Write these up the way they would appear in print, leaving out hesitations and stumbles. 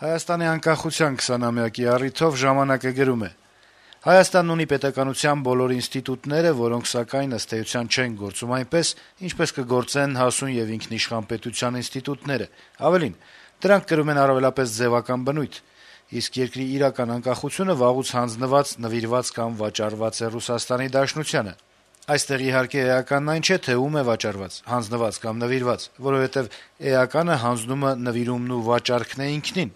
Հայաստանի անկախության 20-ամյակի առիթով «Ժամանակ»-ը գրում է. - «Հայաստանն ունի պետականության բոլոր ինստիտուտները, որոնք սակայն ըստ էության չեն գործում այնպես, ինչպես կգործեն հասուն եւ ինքնիշխան պետության ինստիտուտները: Ավելին, դրանք կրում են առավելապես ձեւական բնույթ: Իսկ երկրի իրական անկախությունը վաղուց հանձնված, նվիրված կամ վաճառված է Ռուսաստանի Դաշնությանը: Այստեղ, իհարկե, էականն այն չէ, թե ում է վաճառված, հանձնված կամ նվիրված, որովհետեւ էականը հանձնումը, նվիրումն ու վաճառքն է ինքնին: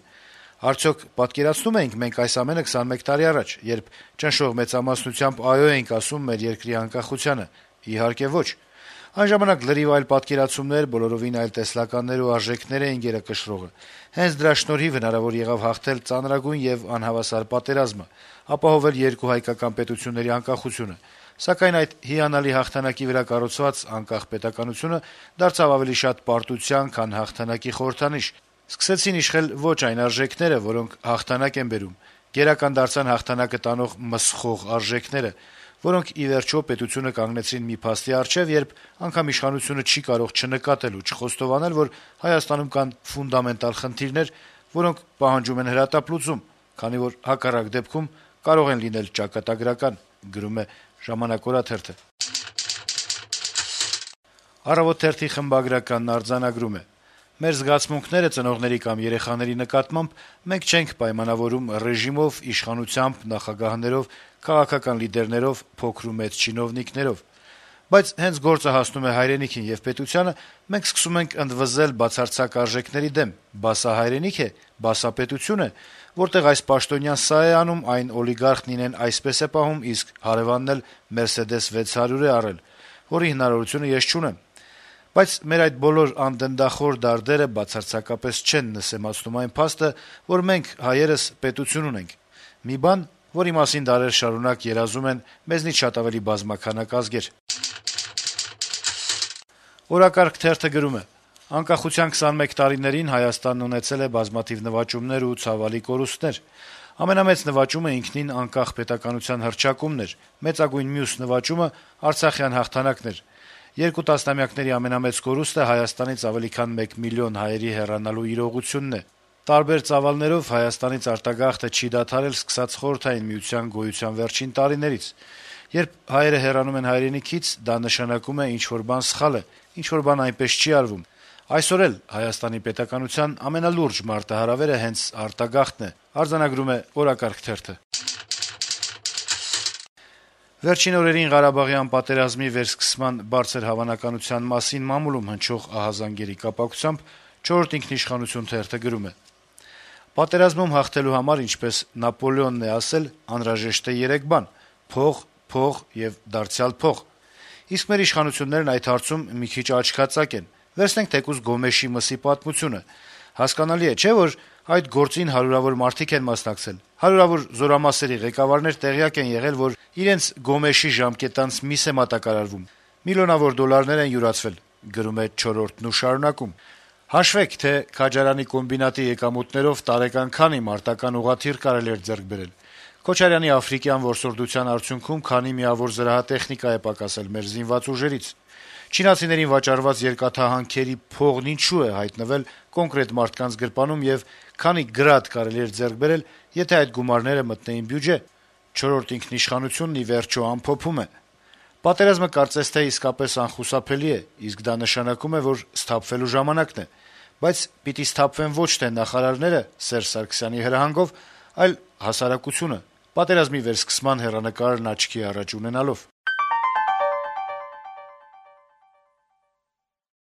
Արդյոք պատկերացնո՞ւմ էինք մենք այս ամենը 21 տարի առաջ, երբ ճնշող մեծամասնությամբ «այո» էինք ասում մեր երկրի անկախությանը: Իհարկե ոչ: Այն ժամանակ լրիվ այլ պատկերացումներ, բոլորովին այլ տեսլականներ ու արժեքներ էին գերակշռողը: Հենց դրա շնորհիվ հնարավոր եղավ հաղթել ծանրագույն եւ անհավասար պատերազմը, ապահովել երկու հայկական պետությունների անկախությունը: Սակայն այդ հիանալի հաղթանակի վրա կառուցված անկախ պետականությունը դարձավ ավելի շատ պարտության, քան հաղթանակի խորհրդանիշ: Սկսեցին իշխել ոչ այն արժեքները, որոնք հաղթանակ են բերում: Գերական դարձան հաղթանակը տանող «մսխող» արժեքները, որոնք, ի վերջո, պետությունը կանգնեցրին մի փաստի առջեւ, երբ անգամ իշխանությունը չի կարող չնկատել ու չխոստովանել, որ Հայաստանում կան ֆունդամենտալ խնդիրներ, որոնք պահանջում են հրատապ լուծում, քանի որ հակառակ դեպքում կարող են լինել ճակատագրական»: «Առավոտ» թերթի խմբագրականն արձանագրում է. - «Մեր զգացմունքները ծնողների կամ երեխաների նկատմամբ մենք չենք պայմանավորում ռեժիմով, իշխանությամբ, նախագահներով, քաղաքական լիդերներով, փոքր ու մեծ չինովնիկներով: Բայց հենց գործը հասնում է հայրենիքին եւ պետությանը, մենք սկսում ենք ընդվզել բացարձակ արժեքների դեմ: Բա սա հայրենի՞ք է, բա սա պետությո՞ւն է, որտեղ այս պաշտոնյան սա է անում, այն օլիգարխն իրեն այսպես է պահում, իսկ հարեւանն էլ «Մերսեդես 600» է առել, որի հնարավորությունը ես չունեմ: Բայց մեր այդ բոլոր անդնդախոր դարդերը բացարձակապես չեն նսեմացնում այն փաստը, որ մենք, հայերս, պետություն ունենք: Մի բան, որի մասին դարեր շարունակ երազում են մեզնից շատ ավելի բազմաքանակ ազգեր»: «Օրակարգ» թերթը գրում է. - «Անկախության 21 տարիներին Հայաստանն ունեցել է բազմաթիվ նվաճումներ ու ցավալի կորուստներ: Ամենամեծ նվաճումը ինքնին անկախ պետականության հռչակումն էր, մեծագույն մյուս նվաճումը արցախյան հաղթանակն էր: Երկու տասնամյակների ամենամեծ կորուստը Հայաստանից ավելի քան 1 միլիոն հայերի հեռանալու իրողությունն է: Տարբեր ծավալներով Հայաստանից արտագաղթը չի դադարել սկսած Խորհրդային Միության գոյության վերջին տարիներից: Երբ հայերը հեռանում են հայրենիքից, դա նշանակում է ինչ-որ բան սխալ է, ինչ-որ բան այնպես չի արվում: Այսօր էլ Հայաստանի պետականության ամենալուրջ մարտահրավերը հենց արտագաղթն է»: Վերջին օրերին Ղարաբաղյան պատերազմի վերսկսման բարձր հավանականության մասին մամուլում հնչող ահազանգերի կապակցությամբ «Չորրորդ ինքնիշխանություն» թերթը գրում է. - «Պատերազմում հաղթելու համար, ինչպես Նապոլեոնն է ասել, անհրաժեշտ է 3 բան՝ փող, փող եւ դարձյալ փող: Իսկ մեր իշխանություններն այդ հարցում մի քիչ աչքածակ են: Վերցնենք թեկուզ Գոմեշի մսի պատմությունը: Հասկանալի է, չէ՞, որ այդ գործին հարյուրավոր մարդիկ են մասնակցել: Հարյուրավոր զորամասերի ղեկավարներ տեղյակ են եղել, որ իրենց Գոմեշի ժամկետանց միս է մատակարարվում: Միլիոնավոր դոլարներ են յուրացվել: Հաշվեք, թե Քաջարյանի կոմբինատի եկամուտներով տարեկան քանի մարտական ուղղաթիռ կարելի էր ձեռք բերել: Քոչարյանի աֆրիկյան որսորդության արդյունքում քանի միավոր զրահատեխնիկա է պակասել մեր զինված ուժերից: Չինացիներին վաճառված երկաթահանքերի փողն ինչու է հայտնվել կոնկրետ մարդկանց գրպանում եւ քանի «գրադ» կարելի էր ձեռք բերել, եթե այդ գումարները մտնեին բյուջե: «Չորրորդ ինքնիշխանությունն» ի վերջո ամփոփում է. - «Պատերազմը կարծես թե իսկապես անխուսափելի է, իսկ դա նշանակում է, որ սթափվելու ժամանակն է: Բայց պիտի սթափվեն ոչ թե նախարարները Սերժ Սարգսյանի հրահանգով, այլ հասարակությունը՝ պատերազմի վերսկսման հեռանկարն աչքի առաջ ունենալով»: